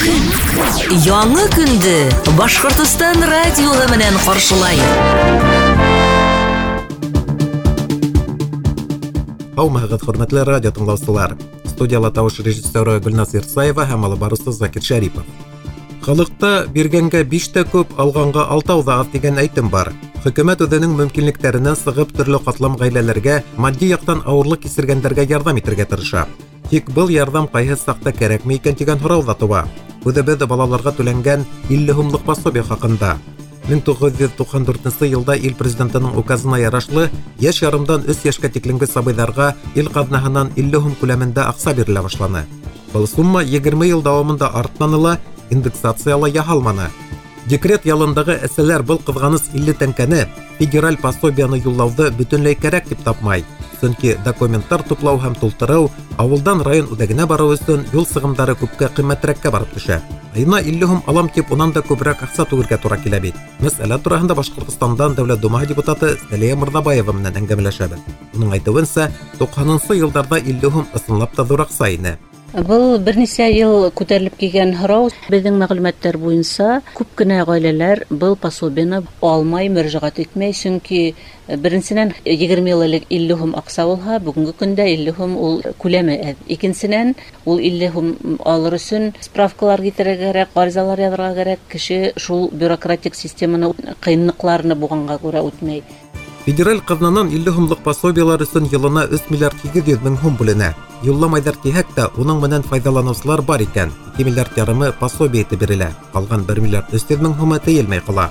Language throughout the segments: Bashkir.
көн. Яңы көндө Башҡортостан радиоһы менән ҡаршылай. Һаумыһығыҙ, хөрмәтле радио тыңлаусылар. Студияла тауыш режиссеры Гөлназ Ирсаева һәм алып барыусы Закир Шәрипов. Халыҡта биргәнгә биш тә күп, алғанға алтау ҙа аҙ тигән әйтем бар. Хөкүмәт үҙенең мөмкинлектәренән сығып төрлө ҡатлам ғаиләләргә, матди яҡтан ауырлыҡ кисергәндәргә ярҙам итергә тырыша. Тик был ярҙам ҡайһы саҡта кәрәкме икән тигән һорау ҙа тыуа. Үҙебеҙ балаларға түләнгән 50 һумлыҡ пособие хаҡында. 1994 йылда ил президентының указына ярашлы йәш ярымдан 3 йәшкә тиклемге сабыйҙарға ил ҡаҙнаһынан 50 һум күләмендә аҡса бирелә башланы. Был сумма 20 йыл дауамында артманы ла, индексация ла яһалманы. Декрет ялындағы әсәләр был ҡыҙғаныс 50 тәңкәне федераль пособияны юллауҙы бөтөнләй кәрәк тип тапмай. Сөнки документтар туплау һәм тултырыу, ауылдан район үҙәгенә барыу өсөн юл сығымдары күпкә ҡиммәтрәккә барып төшә. Айына 50 һум алам тип унан да күберәк аҡса түгергә тура килә бит. Мәсьәлә тураһында Башҡортостандан Дәүләт Думаһы депутаты Сәлиә Мырҙабаева менән әңгәмәләшәбеҙ. Уның әйтеүенсә, 90-нсы йылдарҙа 50 һум ысынлап та ҙур аҡса ине. Был бер нисә йыл күтәрелеп килгән һорау. Беҙҙең мәғлүмәттәр буйынса күп кенә ғаиләләр был пособиены алмай, мөрәжәғәт итмәй, сөнки беренсенән 20 йыл элек 50 һум аҡса булһа, бөгөнгө көндә 50 һум ул күләме әҙ. Икенсенән, ул 50 һум алыр өсөн справкалар китерергә кәрәк, ғаризалар яҙырға кәрәк. Кеше шул бюрократик системаны ҡыйынлыҡларны булғанға күрә үтмәй. Федераль ҡаҙнанан 50 һумлыҡ пособиелар өсөн йылына 3 миллиард 800 мең һум бүленә. Юлламайҙар тиһәк тә, уның менән файҙаланыусылар бар икән. 2 миллиард ярымы пособие итеп бирелә. Ҡалған 1 миллиард 300 мең һумы тейелмәй ҡала.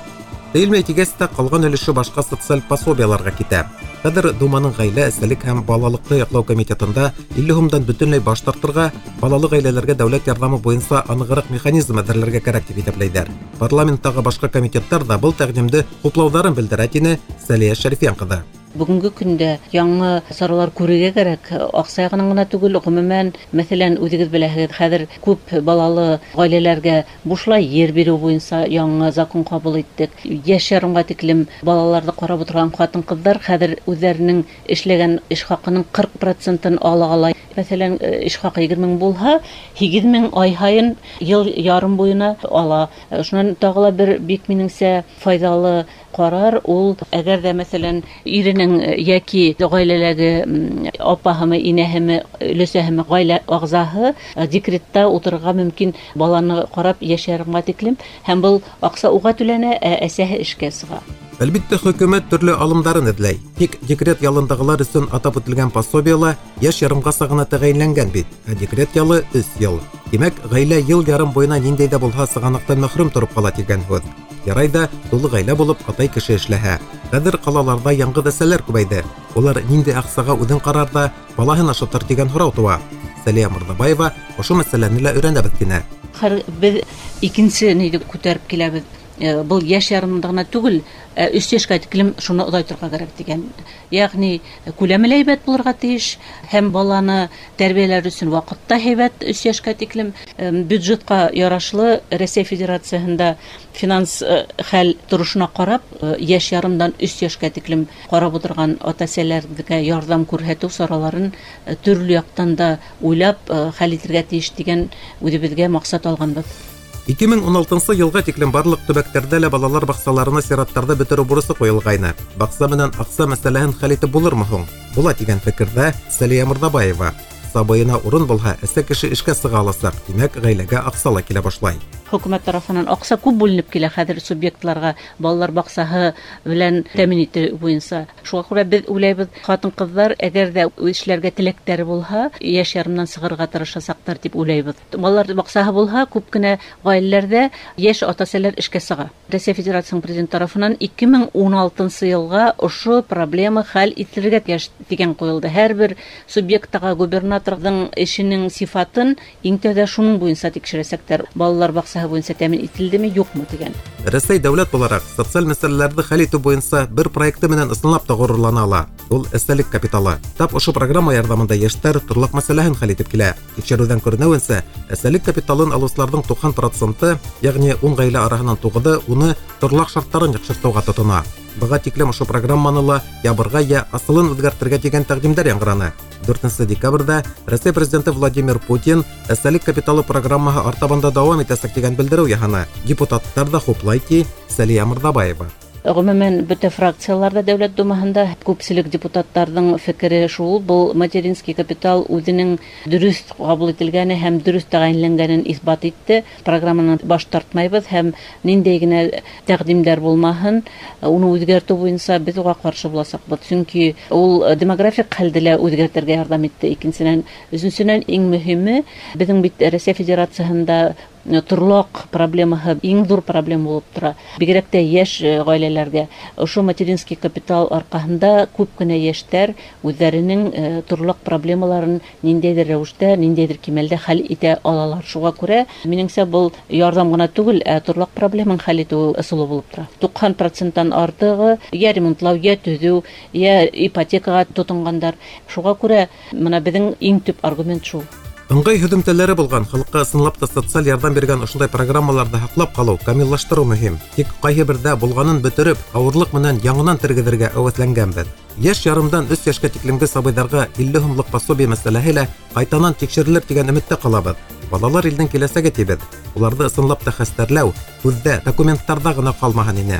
Тейелмәй тигәс тә, ҡалған өлөшө башҡа социаль пособиеларға китә. Хәҙер Думаның ғаилә, әсәлек һәм балалыҡты яҡлау комитетында 50 һумдан бөтөнләй баш тартырға, балалы ғаиләләргә дәүләт ярҙамы буйынса анығыраҡ механизм әҙерләргә кәрәк тип иҫәпләйҙәр. Парламенттағы башҡа комитеттар ҙа был тәҡдимде хуплауҙарын белдерә, тине Сәлиә Шәрифйән ҡыҙы. Бөгөнгө көндә яңы саралар күрергә кәрәк. Аҡса яғынан ғына түгел, ғөмүмән, мәҫәлән, үҙегеҙ беләһегеҙ, хәҙер күп балалы ғаиләләргә бушлай ер биреү буйынса яңы закон ҡабул иттек. Йәш ярымға тиклем балаларҙы ҡарап ултырған ҡатын-ҡыҙҙар хәҙер үҙҙәренең эшләгән эш хаҡының 40% ала ала. Мәҫәлән, эш хаҡы 20 мең булһа, 8 мең ай һайын йыл ярым буйына ала. Шунан тағы ла бер бик минеңсә файҙалы ҡарар ул, әгәр ҙә мәҫәлән иренең йәки ғаиләләге апаһымы, инәһеме, өләсәһеме, ғаилә ағзаһы декретта ултырырға мөмкин баланы ҡарап йәш ярымға тиклем, һәм был аҡса уға түләнә, ә әсәһе эшкә сыға. Әлбиттә, хөкүмәт төрлө алымдарын эҙләй. Тик декрет ялындағылар өсөн атап үтелгән пособиела йәш ярымғаса ғына тәғәйенләнгән бит, ә декрет ялы 3 йыл. Тимәк, ғаилә йыл ярым буйына ниндәй ҙә булһа сығанаҡтан мәхрүм тороп ҡала тигән һүҙ. Ярай ҙа тулы ғаилә булып атай кеше эшләһә. Хәҙер ҡалаларҙа яңғыҙ әсәләр күбәйҙе. Улар ниндәй аҡсаға үҙен ҡарар ҙа балаһын ашатыр тигән һорау тыуа. Сәлиә Мырҙабаева ошо мәсьәләне лә өйрәнәбеҙ тине. Хәҙер беҙ икенсе ниҙе күтәреп киләбеҙ. Был йәш ярымында ғына түгел, 3 йәшкә тиклем шуны оҙайтырға кәрәк тигән. Йәғни күләме лә һәйбәт булырға тейеш, һәм баланы тәрбиәләр өсөн ваҡыт та һәйбәт 3 йәшкә тиклем. Бюджетҡа ярашлы Рәсәй Федерацияһында финанс хәл торошона ҡарап, йәш ярымдан 3 йәшкә тиклем ҡарап ултырған ата-әсәләргә ярҙам күрһәтеү сараларын төрлө яҡтан да уйлап хәл итергә тейеш тигән үҙебеҙгә маҡсат алғанбыҙ. 2016 йылға тиклем барлыҡ төбәктәрҙә лә балалар баҡсаларына сираттарҙы бөтөрөү бурысы ҡуйылғайны. Баҡса менән аҡса мәсьәләһен хәл итеп булырмы һуң? Була тигән фекерҙә Сәлиә Мырҙабаева. Сабыйына урын булһа, әсә кеше эшкә сыға аласаҡ, тимәк, ғаиләгә аҡса ла килә башлай. Хөкүмәт тарафынан аҡса күп бүленеп килә хәҙер субъектларға балалар баҡсаһы белән тәьмин итеү буйынса. Шуға күрә беҙ уйлайбыҙ, ҡатын-ҡыҙҙар әгәр ҙә эшләргә теләктәре булһа, йәш ярымдан сығырға тырышасаҡтар тип уйлайбыҙ. Балалар баҡсаһы булһа, күп кенә ғаиләләрҙә йәш ата-әсәләр эшкә сыға. Рәсәй Федерацияһының президент тарафынан 2016 йылға ошо проблема хәл ителергә тейеш тигән ҡуйылды. Һәр бер субъекттағы губернаторҙың эшенең сифатын иң тәүҙә шуның буйынса тикшерәсәктәр. Балалар баҡсаһы буйынса тәьмин ителдеме, юҡмы тигән. Рәсәй дәүләт булараҡ социаль мәсьәләләрҙе хәл итеү буйынса бер проекты менән ысынлап та ғорурлана ала. Ул әсәлек капиталы. Тап ошо программа ярҙамында йәштәр торлаҡ мәсьәләһен хәл итеп килә. Тикшереүҙән күренеүенсә, әсәлек капиталын алыусыларҙың 90%, йәғни 10 ғаилә араһынан 9-ы уны торлаҡ шарттарын яҡшыртыуға тотона. Быға тиклем ошо программаны ла ябырға йә асылын үҙгәртергә тигән тәҡдимдәр яңғыраны. 4 декабрҙә Рәсәй президенты Владимир Путин әсәлек капиталы программаһы артабан да дауам итәсәк тигән белдереү яһаны. Депутаттар ҙа хуплай, ти Сәлиә Мырҙабаева. Ғөмүмән, бөтә фракцияларҙа Дәүләт Думаһында күпселек депутаттарҙың фекере шул: был материнский капитал үҙенең дөрөҫ ҡабул ителгәне һәм дөрөҫ тәғәйенләнгәнен иҫбат итте. Программанан баш тартмайбыҙ һәм ниндәй генә тәҡдимдәр булмаһын, уны үҙгәртеү буйынса беҙ уға ҡаршы буласаҡбыҙ. Сөнки ул демографик хәлде лә үҙгәртергә ярҙам итте, икенсенән. Өсөнсөнән, иң мөһиме, беҙҙең бит Рәсәй Федерацияһында торлаҡ проблемаһы иң ҙур проблема булып тора. Бигерәк тә йәш ғаиләләргә. Ошо материнский капитал арҡаһында күп кенә йәштәр үҙҙәренең торлаҡ проблемаларын ниндәйҙер рәүештә, ниндәйҙер кимәлдә хәл итә алалар. Шуға күрә, минеңсә, был ярҙам ғына түгел, ә торлаҡ проблемын хәл итеү ысулы булып тора. 90%-тан артығы йә ремонтлау, йә төҙөү, йә ипотекаға тотонғандар. Шуға күрә, мына беҙҙең иң төп аргумент шул. Ыңғай һөҙөмтәләре булған, халыҡҡа ысынлап та социаль ярҙам биргән ошондай программаларҙы һаҡлап ҡалыу, камиллаштырыу мөһим. Тик ҡайһы берҙә булғанын бөтөрөп, ауырлыҡ менән яңынан тергеҙергә әүәҫләнгәнбеҙ. Йәш ярымдан 3 йәшкә тиклемге сабыйҙарға 50 һумлыҡ пособие мәсьәләһе лә ҡайтанан тикшерелер тигән өмөттә ҡалабыҙ. Балалар илдең киләсәге тибеҙ. Уларҙы ысынлап та хәстәрләү һүҙҙә, документтарҙа ғына ҡалмаһын ине.